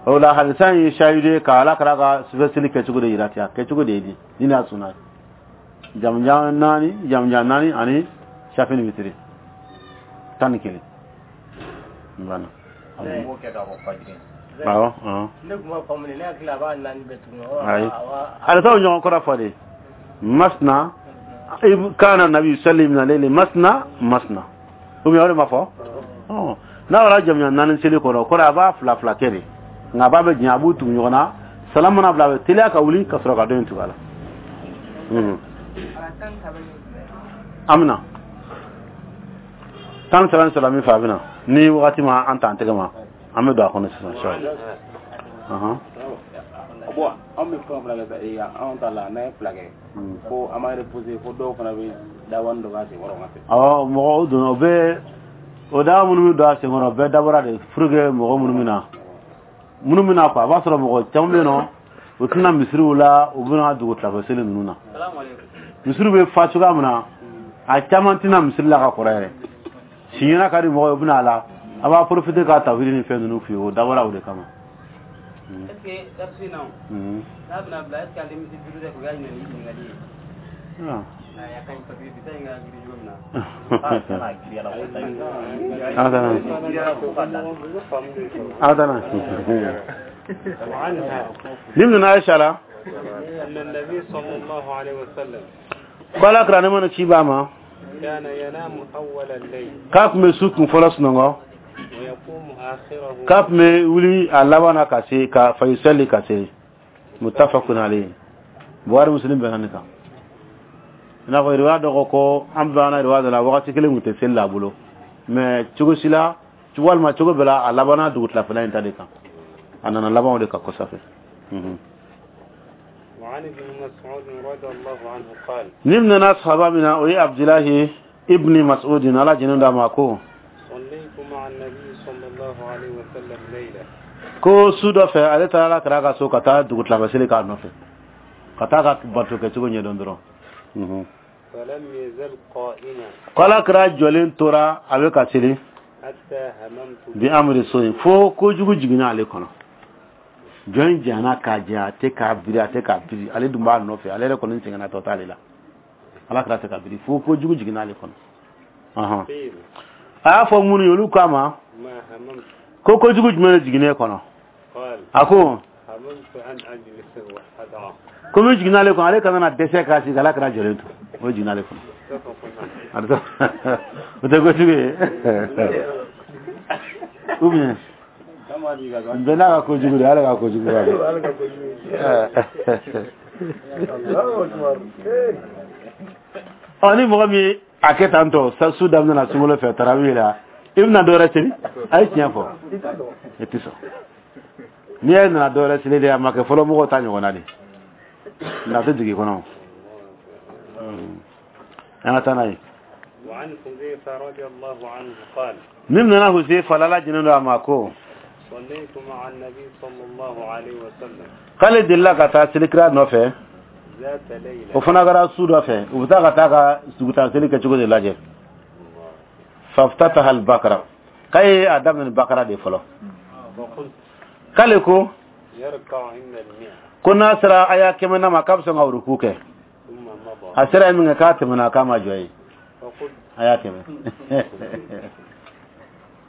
O la hadisa in ye shahidu ye ka Ala kɛra ka sufɛ seli kɛcogo de yira ten, a kɛcogo de ye di ni n'a sunna ye, jamujan naani, jamujan naani ani shafi ni witiri 11 banna. Awɔ. Ne tun b'a faamu, ne hakili a b'a naani bɛɛ tugu. Ayi, hadisaw ɲɔgɔn kɔrɔ fɔ de. Masna kana nabi yusalli min al-layli masna masna, ou bien o de ma fɔ? N'a fɔra jamujan naani seli kɔnɔ, kɔrɔ a b'a fila fila kɛ de, nka a b'a bɛ janya, a b'u tugu ɲɔgɔn na. Salam mana bila, a bɛ teliya ka wuli ka sɔrɔ ka dɔ in tugu a la. An bɛna 13 in sɔrɔ min fɛ, a bɛna ni wagati ma an ta an tɛgɛ ma, an bɛ don a kɔnɔ sisan inshallah. Bon, an bɛ fɛn fila kɛ sa, anw ta la, n'an ye fila kɛ ko an b'a reposer, fo dɔw fana bɛ dawani dɔ k'a senkɔrɔ ka se. Awɔ, mɔgɔw donna, o bɛ o dawa minnu bɛ don a senkɔrɔ, bɛɛ dabɔra de pour que mɔgɔ minnu bɛ na quoi. A b'a sɔrɔ mɔgɔ caman bɛ yen nɔ, u tɛna misiriw la, u bɛna dugu tilafɛ seli ninnu na. Misiriw bɛ fa cogoya min na, a caman tɛna misiri la ka kɔrɔ yɛrɛ. Siɲɛna ka di mɔgɔ ye, u bɛna a la, a b'a profiter k'a tawhidi ni fɛn ninnu f'i ye, o dabɔra o de kama. Est ce que darsu in na, n'a bɛna bila, est ce que ale misi duuru tɛ k'o kɛ ɲininkali ye? A ka ɲi, parce que bi ta in ka girin cogo min na. Adana. Ni nana Aisha la. أن النبي صلى الله عليه وسلم. Ko kira ne mana ci ba ma. كان ينام أول الليل. K'a tun bɛ su kun fɔlɔ sunɔgɔ. ويقوم آخره. K'a tun bɛ wuli a laban na ka se ka fayusali ka se. Muttafaqun alayhi. Buhari Muslim bɛnna nin kan. I n'a fɔ riwaya dɔ ko an banna riwaya dɔ la, wagati kelen tun tɛ seli la a bolo. Mais cogo si la, walima cogo bɛɛ la, a labanna dugu tilafɛla in ta de kan. A nana laban o de kan kɔsa fɛ. وعن ابن مسعود رضي الله عنه قال. Ni nana sahaba min na, o ye Abdilahi ibni Mas'ud, Ala jɛnnen d'a ma, ko صليت مع النبي صلى الله عليه وسلم ليلة. Ko su dɔ fɛ, ale taara Ala kira ka so ka taa dugu tilafɛ seli k'a nɔfɛ, ka taa ka bato kɛcogo ɲɛdɔn dɔrɔn. فلم يزل قائما. Ko Ala kira jɔlen tora a bɛ ka seli. حتى هممت. Bi amri so in, fo kojugu jiginna ale kɔnɔ. Jɔn in janyana k'a janya, a tɛ k'a biri, a tɛ k'a biri, ale dun b'a nɔfɛ, ale yɛrɛ kɔni sɛgɛnna, tɔ t'ale la. Ala kira tɛ ka biri fo ko jugu jiginna ale kɔnɔ. A y'a fɔ minnu ye, olu k'a ma ko kojugu jumɛn de jiginnen kɔnɔ? A ko ko min jiginna ale kɔnɔ, ale kana na dɛsɛ k'a sigi, ala kɛra jɔlen to, o jiginna ale kɔnɔ. O tɛ kojugu ye ou bien bɛɛ n'a ka kojugu de, ale ka kojugu b'a dɔn. Ɔ, ni mɔgɔ min a kɛ tan tɔ su daminɛ na sunkalo fɛ tarawih la, i bɛna dɔ wɛrɛ seli? A ye tiɲɛ fɔ, i tɛ sɔn. N'i y'a nana dɔ wɛrɛ seli de, a ma kɛ fɔlɔ mɔgɔw ta ɲɔgɔnna de, nka a tɛ jigin kɔnɔ. An ka taa n'a ye. Min nana Huzaifa, ala jɛnnen don a ma, ko k'ale delila ka taa selikira nɔfɛ, o fana kɛra su dɔ fɛ, u bɛ taa ka taa ka suguta seli kɛcogo de lajɛ. Faftataha al-bakara, k'a ye a daminɛ ni bakara de fɔlɔ. K'ale ko ko n'a sera aya 100 ma, k'a bɛ sɔn ka ruku kɛ. A sera yen min kɛ, k'a tɛmɛna, k'a ma jɔ yen. A y'a 100,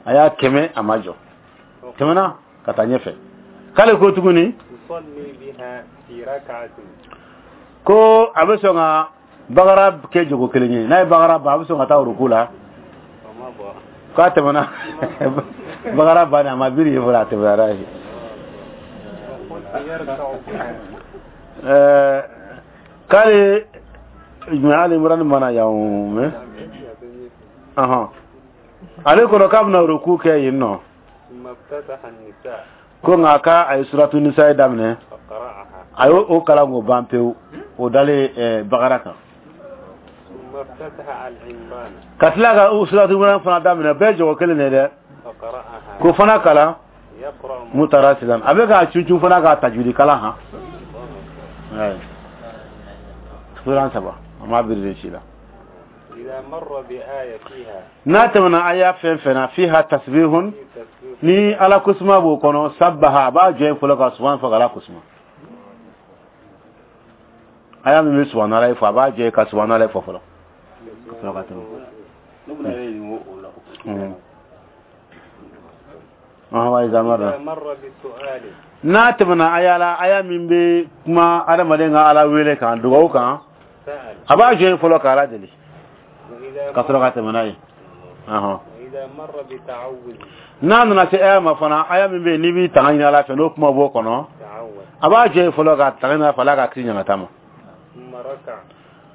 a y'a 100, a ma jɔ, tɛmɛna ka taa ɲɛfɛ. K'ale ko tuguni ko a bɛ sɔn ka bakara kɛ jogo kelen ye, n'a ye bakara ban, a bɛ sɔn ka taa ruku la. K'a tɛmɛna bakara bannen, a ma biri ye fɔlɔ, a tɛmɛna n'a ye. K'ale jumɛn, Ali Imran mana yan mɛ, ale kɔnɔ k'a bɛna ruku kɛ yen nɔ, ko nka k'a a ye suratu nisa ye daminɛ, a y'o kalan k'o ban pewu, o dalen bakara kan. Ka tila ka suratu Imran fana daminɛ, bɛɛ jɔgɔ kelen de dɛ, k'o fana kalan mutarasilan, a bɛ k'a cuncun fana k'a tajwidi kalan han. Suran saba, a ma biri de si la. N'a tɛmɛna aya fɛn fɛn na, fiha tasbihun, ni ala kusuma b'o kɔnɔ, sabbaha, a b'a jɔ yen fɔlɔ ka subahana fɔ ka ala kusuma. Aya min bɛ subahana fɔ, a b'a jɔ yen ka subahana fɔ fɔlɔ ka sɔrɔ ka tɛmɛ. N'a tɛmɛna aya la, aya min bɛ kuma adamaden ka ala wele kan, dugawu kan, a b'a jɔ yen fɔlɔ ka ala deli ka sɔrɔ ka tɛmɛ n'a ye. N'a nana se aya ma fana, aya min bɛ yen n'i b'i tanga ɲini ala fɛ, n'o kuma b'o kɔnɔ, a b'a jɔ yen fɔlɔ ka tanga ɲini ala fɛ, ala ka kisi ɲangata ma.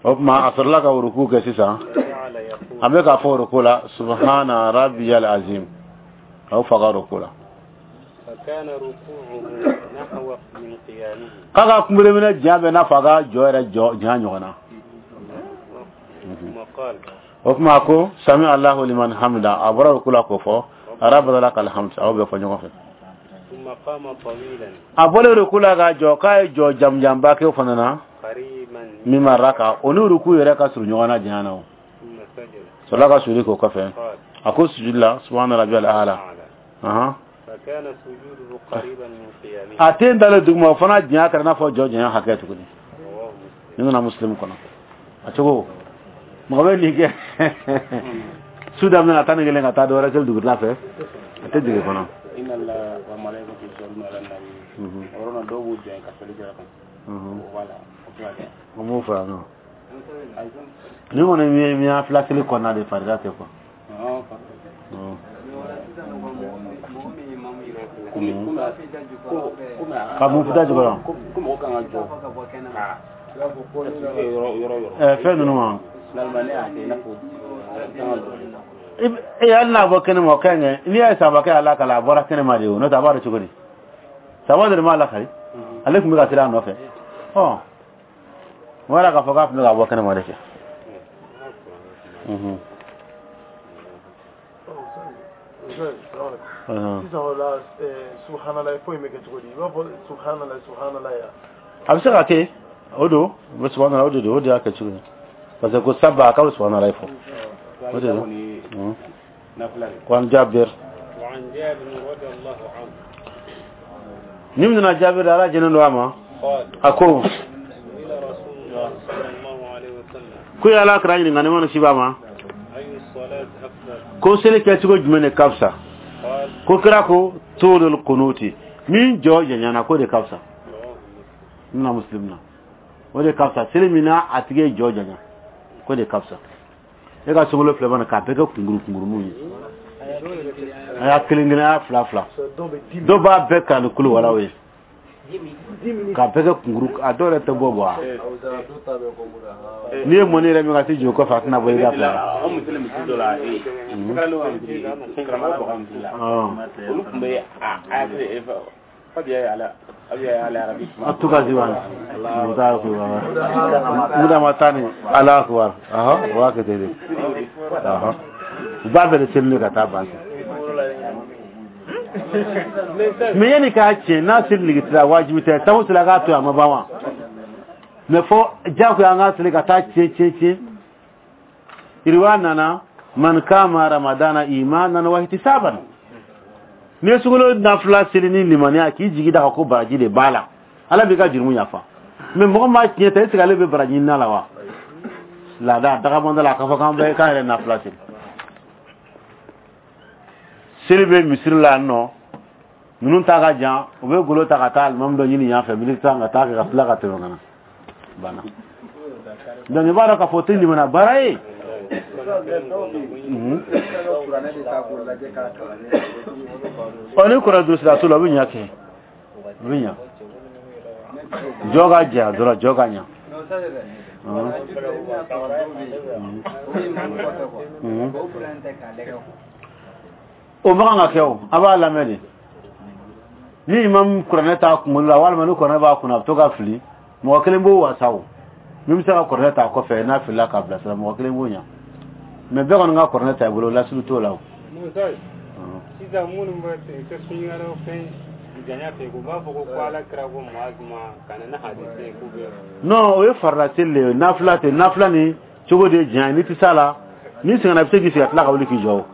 O tuma a sɔrɔla ka ruku kɛ sisan, a bɛ k'a fɔ ruku la subhana rabbiyal azim, k'aw fa ka ruku la. K'a ka kunbereminɛ diɲɛ bɛ n'a fɔ a ka jɔ yɛrɛ jɔ diɲɛ ɲɔgɔn na. O tuma ko sami Allahu liman hamida, a bɔra ruku la k'o fɔ, rabbana lakal hamd, aw bɛ fɔ ɲɔgɔn fɛ. A bɔlen ruku la ka jɔ, k'a ye jɔ jamujanba kɛ o fana na, min raka, o ni ruku yɛrɛ ka surun ɲɔgɔn na diɲɛ na. O sɔrɔla ka sujudi k'o kɔfɛ, a ko sujudi la subhana rabbiyal a'la. A ten dalen duguma, o fana diɲɛ kɛra n'a fɔ jɔ janya hakɛ tuguni. Ni nana Muslim kɔnɔ, a cogo mɔgɔ bɛ nin kɛ su daminɛ 11 ka taa dɔ wɛrɛ seli dugutila fɛ, a tɛ jigin kɔnɔ. O m'o fɔ yan nɔ. Ni kɔni min y'a fila seli kɔnɔna de, farida tɛ quoi. Ka mun fita jukɔrɔ? Fɛn ninnu ma. E hali n'a bɔ kɛnɛ ma, o ka ɲi. N'i y'a ye sabakɛ y'a lakali, a bɔra kɛnɛ ma de o, n'o tɛ a b'a dɔn cogo di? Saba de m'a lakali, ale tun bɛ ka sira a nɔfɛ. Ɔ, wala k'a fɔ k'a tun bɛ ka bɔ kɛnɛ ma de kɛ. Sisan o la, subhanallah fo in bɛ kɛ cogo di? I b'a fɔ subhanallah subhanallah ya? A bɛ se ka kɛ o don, u bɛ subhanallah o de don, o de y'a kɛ cogo ye. Parce que ko saba a k'a bɛ subhanallah fɔ, o de don. Ko an Jabir. وعن جابر رضي الله عنه. Ni min nana Jabir, Ala jɛnnen don a ma, a ko ko ye Ala kira ɲininka, nɛɛma ni kisi b'a ma, ko seli kɛcogo jumɛn de ka fisa? Ko kira ko tulul kunuti, min jɔ janyana, ko de ka fisa. Na Muslim na, o de ka fisa. Seli min na a tigi ye jɔ janya, ko de ka fisa. E ka sunkalo filɛ mana k'a bɛɛ kɛ kunkuru kunkuruninw ye, a y'a kelen kelen, a y'a fila fila, dɔw b'a bɛɛ kalan ni kulu walaw ye k'a bɛɛ kɛ kunkuru, a dɔw yɛrɛ tɛ bɔ bɔ. N'i ye mɔni yɛrɛ min ka t'i jɔ kɔfɛ, a tɛna bɔ i ka fila. An musili misiri dɔ la, karamɔgɔ ka misiri, karamɔgɔ ka misiri la, olu tun bɛ a fabiya ala abiya ala arabi. A tuka ziban muta ko muda matani ala akbar. Aha, wa ka tede aha, u b'a fɛ de seli ka taa ban. Mais yanni k'a tiɲɛ n'a seli nege t'i la, wajibi tɛ sabu seli a k'a to yen, a ma ban wa? Mais fɔ jagoya an ka seli ka taa tiɲɛ tiɲɛ tiɲɛ. Iriwa nana man kama ramadana imanan wa ihtisaban, n'i ye sunkalo nafila seli ni limaniya k'i jigi da kan ko baraji de b'a la, Ala b'i ka jurumu yafa. Mais mɔgɔ maa tiɲɛ ta, est ce que ale bɛ baraji ɲini la wa? Laada dagamanda la, a ka fɔ k'an bɛ k'an yɛrɛ nafila seli. Seli bɛ misiri la yan nɔ, ninnu ta ka jan, u bɛ golo ta ka taa alimami dɔ ɲini yan fɛ, miniti 10 ka taa kɛ ka tila ka tɛmɛ ka na banna. Donc i b'a dɔn k'a fɔ o tɛ limaniya baara ye. Ɔ, ni kɔrɔ duuru sira t'o la, o bɛ ɲa kɛ, o bɛ ɲa. Jɔ ka janya dɔrɔn, jɔ ka ɲa. O man kan ka kɛ o, a b'a lamɛn de. Ni imam kuranɛ t'a kunkolo la, walima ni kuranɛ b'a kunna, a bɛ to ka fili, mɔgɔ kelen b'o wasa. O min bɛ se ka kuranɛ ta kɔfɛ n'a filila k'a bilasira, mɔgɔ kelen b'o ɲa. Mais bɛɛ kɔni ka kuranɛ ta i bolo, lasulu t'o la o. Sisan minnu bɛ tɛ sunkalo fɛn janya fɛ, u b'a fɔ ko Ala kira ko Muazu ma ka na ni hadisi ye k'u bɛ. Non, o ye farila seli de ye, nafila tɛ. Nafila ni cogo de ye janya ye, n'i tɛ s'a la, n'i sɛgɛnna, i bɛ se k'i sigi ka tila ka wuli k'i jɔ o.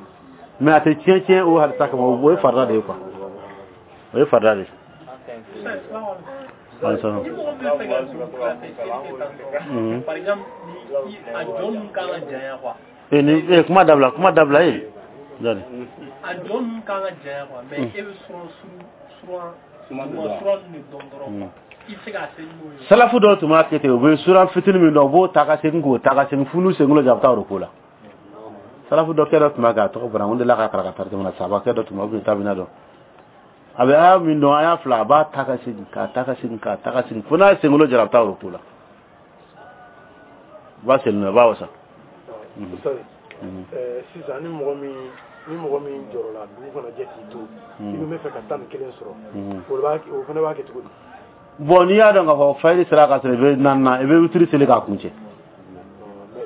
Mais a tɛ tiɲɛ tiɲɛ o hadisa kama, o ye farila de ye quoi, o ye farila de ye. Ni mɔgɔ min bɛ fɛ ka dugukila fɛ seli kɛ tan tɔ, par exemple, ni a jɔ ninnu kan ka janya quoi. E ni e kuma dabila, kuma dabila e. Dani. A jɔ ninnu kan ka janya quoi, mais e bɛ suran suran suran de dɔn dɔrɔn quoi. I bɛ se k'a seli n'o ye. Salafu dɔw tun b'a kɛ ten, u bɛ suran fitinin min dɔn, u b'o ta ka segin k'o ta ka segin f'u n'u senkolo jɔ, a bɛ taa o ko la. Salafu dɔ kɛ dɔ tun b'a kɛ, a tɔgɔ bɔra n delila ka kalan ka tarjama na, sabakɛ dɔ tun b'a bɛ tabina dɔn. A bɛ aya min dɔn, aya fila, a b'a ta ka segin k'a ta ka segin k'a ta ka segin fo n'a ye senkolo jara, a bɛ taa o ko la. U b'a seli n'o ye, a b'a wasa. Sisan ni mɔgɔ min jɔrɔla dugu kana jɛ k'i to, i bɛ fɛ ka 11 sɔrɔ, o fana b'a kɛ cogo di? Bon, n'i y'a dɔn k'a fɔ fayiri sera ka sɔrɔ i bɛ naani na, i bɛ witiri seli k'a kuncɛ.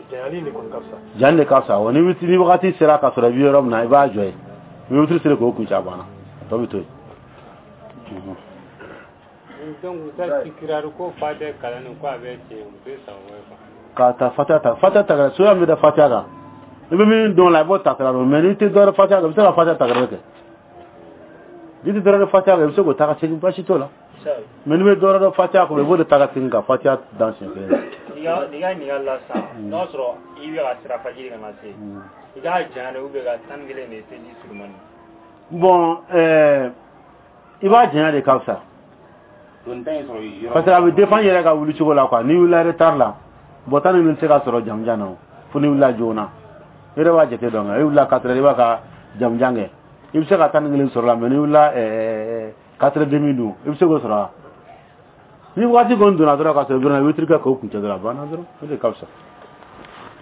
Janyali de kɔni ka fisa. Janyali de ka fisa. Wa ni witiri ni wagati sera ka sɔrɔ i bɛ yɔrɔ min na, i b'a jɔ yen, i bɛ witiri seli k'o kuncɛ, a banna, a tɔ bɛ to yen. Donc u ta tikirari ko fa tɛ kalan ko a bɛ tiɲɛ, u tɛ sago ye quoi. K'a ta fatiha ta, fatiha ta kɛra soya min bɛ da fatiha kan, i bɛ min dɔn la, i b'o ta kɛra, mais n'i tɛ dɔwɛrɛ fatiha kan, i bɛ se ka fatiha ta kɛrɛ kɛ. N'i tɛ dɔwɛrɛ fatiha kan, i bɛ se k'o ta ka segin, baasi t'o la. Mais n'i bɛ dɔwɛrɛ dɔn fatiha kɔnɔ, i b'o de ta ka segin ka fatiha dan siɲɛ kelen. N'i ka ɲininkali la sisan, n'o y'a sɔrɔ i bɛ ka sira fajiri kana se, i k'a janya de ou bien ka 11 de seliji surumani? Bon, i b'a janya de ka fisa. Parce que a bɛ dépend yɛrɛ ka wuli cogo la quoi. N'i wulila retard la, bon, 11 tɛ se ka sɔrɔ jamujan na o, fo n'i wulila joona. I yɛrɛ b'a jate dɔn, i wulila 4 heures, i b'a ka jamujan kɛ, i bɛ se ka 11 sɔrɔ la. Mais n'i wulila 4h30 dun, i bɛ se k'o sɔrɔ wa? Ni waati kɔni donna dɔrɔn ka sɔrɔ i bɛ witiri kɛ k'o kuncɛ dɔrɔn, a banna dɔrɔn, o de ka fisa.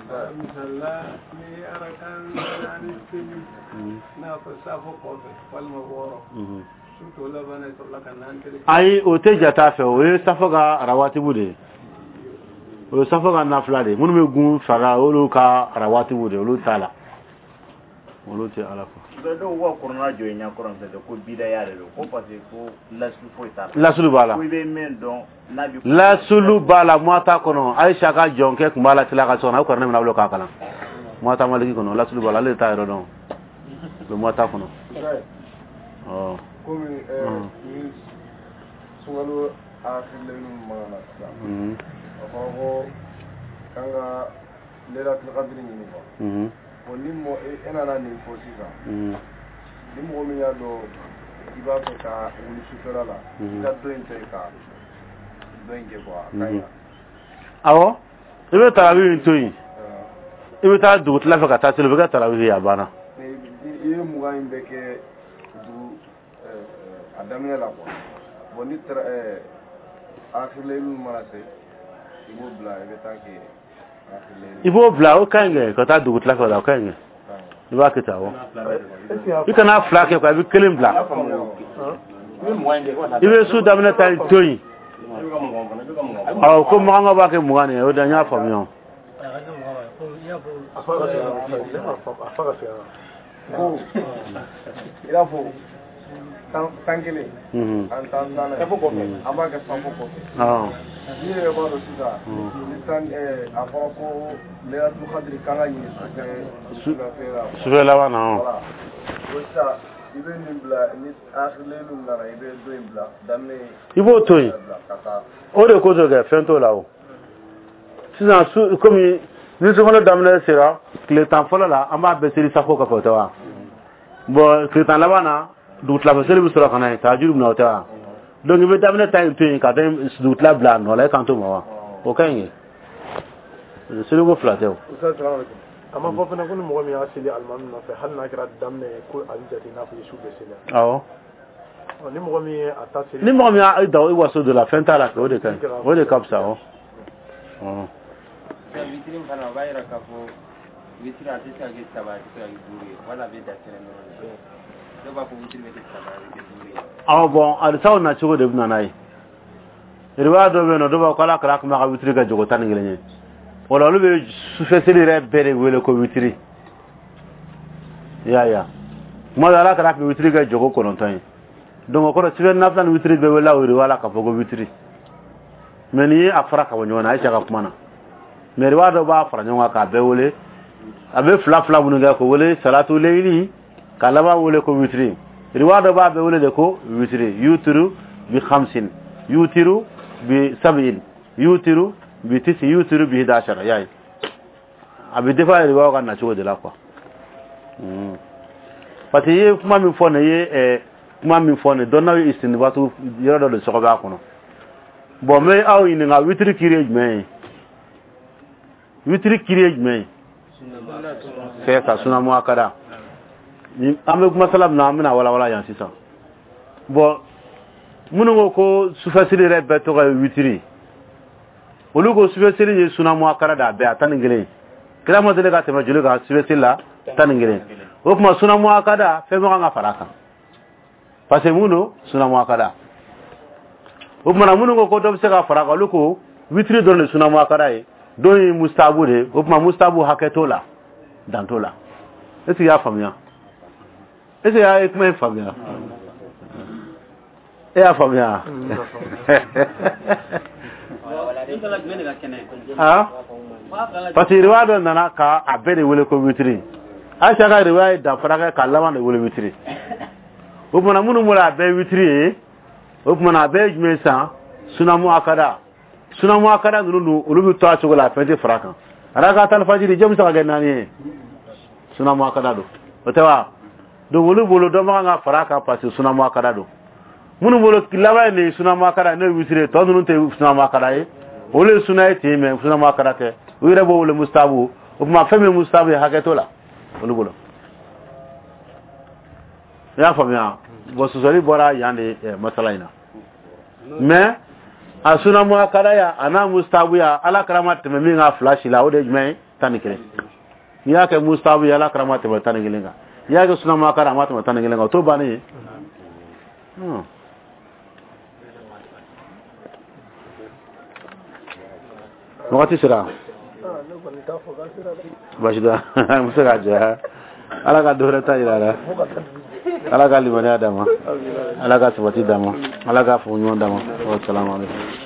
Misalila, ni arakan naani seli n'a fɔ safo kɔfɛ walima 6, su tɔ laban na, i sɔrɔla ka naani seli. Ayi, o tɛ jate a fɛ, o ye safo ka rawatibu de ye, o ye safo ka nafila de ye. Minnu bɛ gun fara, olu ka rawatibu de ye, olu t'a la, olu tɛ ala ko. Dɔw ka kɔnɔna jɔ i ɲɛ kɔrɔ fɛ ko bidaya de don, ko parce que ko lasulu foyi t'a la. Lasulu b'a la. Ko i bɛ min dɔn n'a bɛ. Lasulu b'a la, muwata kɔnɔ, Ayisa ka jɔnkɛ tun b'a la tila ka so kɔnɔ, a ye kuranɛ minɛ a bolo k'a kalan. Muwata Maliki kɔnɔ, lasulu b'a la, ale de t'a yɔrɔ dɔn, o bɛ muwata kɔnɔ. Komi ni Sunkalo akhir mana na sisan, a fɔra ko k'an ka Laylatul Qadr ɲini quoi. Bon, ni mɔgɔ e nana nin fɔ sisan, ni mɔgɔ min y'a dɔn i b'a fɛ ka wuli sufɛla la, i ka dɔ in to yen ka dɔ in kɛ quoi, a ka ɲi. Awɔ, i bɛ tarawi in to yen, i bɛ taa dugutila fɛ ka taa seli, o bɛ kɛ tarawi ye, a banna. I ye 20 in bɛɛ kɛ dugu a daminɛ la quoi. Bon, ni akhir mana se, i b'o bila, i bɛ taa kɛ. I b'o bila, o ka ɲi kɛ ka taa dugutila fɛ o la, o ka ɲi kɛ. I b'a kɛ tan, awɔ. I kana fila kɛ quoi, i bɛ kelen bila. I bɛ su daminɛ ta in to yen. Awɔ, ko makankaw b'a kɛ 20 de ye, o de n y'a faamuya. A fa ka segin a kan. Ko i n'a fɔ 11 ani 14 an b'a kɛ safo kɔfɛ. Ni yɛrɛ b'a dɔn sisan, ni tan a fɔra ko Laylatul Qadr kan ka ɲini sufɛ sufɛ la. Sufɛ laban na. Voilà, bon, sisan i bɛ nin bila, ni akhir nana, i bɛ dɔ in bila daminɛ. I b'o to yen. Ka taa. O de kosɔn kɛ fɛn t'o la o. Sisan su komi ni sunkalo daminɛ sera tile 10 fɔlɔ la, an b'a bɛɛ seli safo kɔfɛ, o tɛ wa? Bon, tile 10 laban na, dugutilafɛ seli bɛ sɔrɔ ka na yen, tahajuru bɛ na, o tɛ wa? Donc i bɛ daminɛ ta in to yen ka taa dugutila bila a nɔ la, e kan t'o ma wa? O ka ɲi kɛ, seliko fila tɛ o. A ma fɔ fana ko ni mɔgɔ min y'a seli alimami nɔfɛ, hali n'a kɛra daminɛ ye, ko a bɛ jate i n'a fɔ i ye su bɛɛ seli. Awɔ. Ni mɔgɔ min ye a ta seli. Ni mɔgɔ min y'a da i waso dɔ la, fɛn t'a la kɛ, o de ka ɲi, o de ka fisa, awɔ. Witiri fana, o b'a yira k'a fɔ witiri a tɛ se ka kɛ 3, a tɛ se ka kɛ 5 ye, wala a bɛ dan kelen dɔrɔn de. Dɔw b'a fɔ witiri bɛ kɛ 3, a bɛ kɛ 5 ye. Awɔ, bon, hadisaw nacogo de bɛ na n'a ye. Riwaya dɔ bɛ yen nɔ, dɔw b'a fɔ ko Ala kira tun b'a ka witiri kɛ jogo 11 ye. O la olu bɛ sufɛ seli yɛrɛ bɛɛ de wele ko witiri. I y'a ye wa? Tuma dɔ Ala kira tun bɛ witiri kɛ jogo 9 ye. Donc o kɔrɔ sufɛ nafila ni witiri bɛɛ wele o riwaya la k'a fɔ ko witiri. Mais n'i ye a fara ka bɔ ɲɔgɔn na, Ayisa ka kuma na. Mais riwaya dɔ b'a fara ɲɔgɔn kan k'a bɛɛ wele. A bɛ fila fila minnu kɛ k'o wele salatu leyili, ka laban wele ko witiri. Riwaya dɔ b'a bɛɛ wele de ko witiri. Yutiru bi khamsin, yutiru bi sab'in, yutiru bi tisi, yutiru bi hidashara, y'a ye. A bɛ defa riwaya ka na cogo de la quoi. Parce que i ye kuma min fɔ nin ye, kuma min fɔ nin, dɔnnaw ye istinbatu yɔrɔ dɔ de sɔgɔ b'a kɔnɔ. Bon, n bɛ aw ɲininka, witiri kiri ye jumɛn ye? Witiri kiri ye jumɛn ye? C'est ça, sunna muakkada. An bɛ masala min na, an bɛna walawala yan sisan. Bon, minnu ko ko sufɛsiri yɛrɛ bɛɛ tɔgɔ ye witiri, olu ko sufɛsiri ye sunna muakkada de, a bɛɛ a 11. Kira ma deli ka tɛmɛ joli kan sufɛsiri la? 11. O tuma sunna muakkada fɛn bɛ kan ka fara a kan, parce que mun don? Sunna muakkada. O tuma na minnu ko ko dɔ bɛ se ka fara a kan, olu ko witiri dɔrɔn de sunna muakkada ye, dɔ ye mustahabu de ye. O tuma mustahabu hakɛ t'o la, dan t'o la. Est ce que i y'a faamuya? Est ce que i ye kuma in faamuya? E y'a faamuya? Parce que riwaya dɔ nana ka a bɛɛ de wele ko witiri. Ayisa ka riwaya ye danfara kɛ ka laban de wele witiri. O tuma na minnu bolo a bɛɛ ye witiri ye, o tuma na a bɛɛ ye jumɛn ye sisan? Sunna muakkada. Sunna muakkada ninnu dun, olu bɛ to a cogo la, a fɛn tɛ fara a kan. Rakatal fajiri jɔn bɛ se ka kɛ 4 ye? Sunna muakkada don, o tɛ wa? Donc olu bolo dɔ man kan ka fara a kan parce que sunna muakkada don. Minnu bolo laban in de ye sunna muakkada ye, n'o ye witiri ye, tɔ ninnu tɛ sunna muakkada ye, olu ye sunna ye ten, mais sunna muakkada tɛ. U yɛrɛ b'o wele mustahabu. O tuma fɛn min ye mustahabu ye, hakɛ t'o la olu bolo. I y'a faamuya? Bon, sɔsɔli bɔra yan de masala in na. Mais a sunna muakkada ya a n'a mustahabu ya, Ala kira ma tɛmɛ min kan fila si la, o de ye jumɛn ye? 11. N'i y'a kɛ mustahabu ye, Ala kira ma tɛmɛ 11 kan. N'i y'a kɛ sunna muakkada, a ma tɛmɛ 11 kan, o t'o bannen ye. Wagati sera. Baasi tɛ, n bɛ se k'a jɔ. Ala ka dɔ wɛrɛ ta jira a la. Ala ka limaniya d'a ma. Ala ka sabati d'a ma. Ala ka faamu ɲuman d'a ma. Wa salamu aleykum.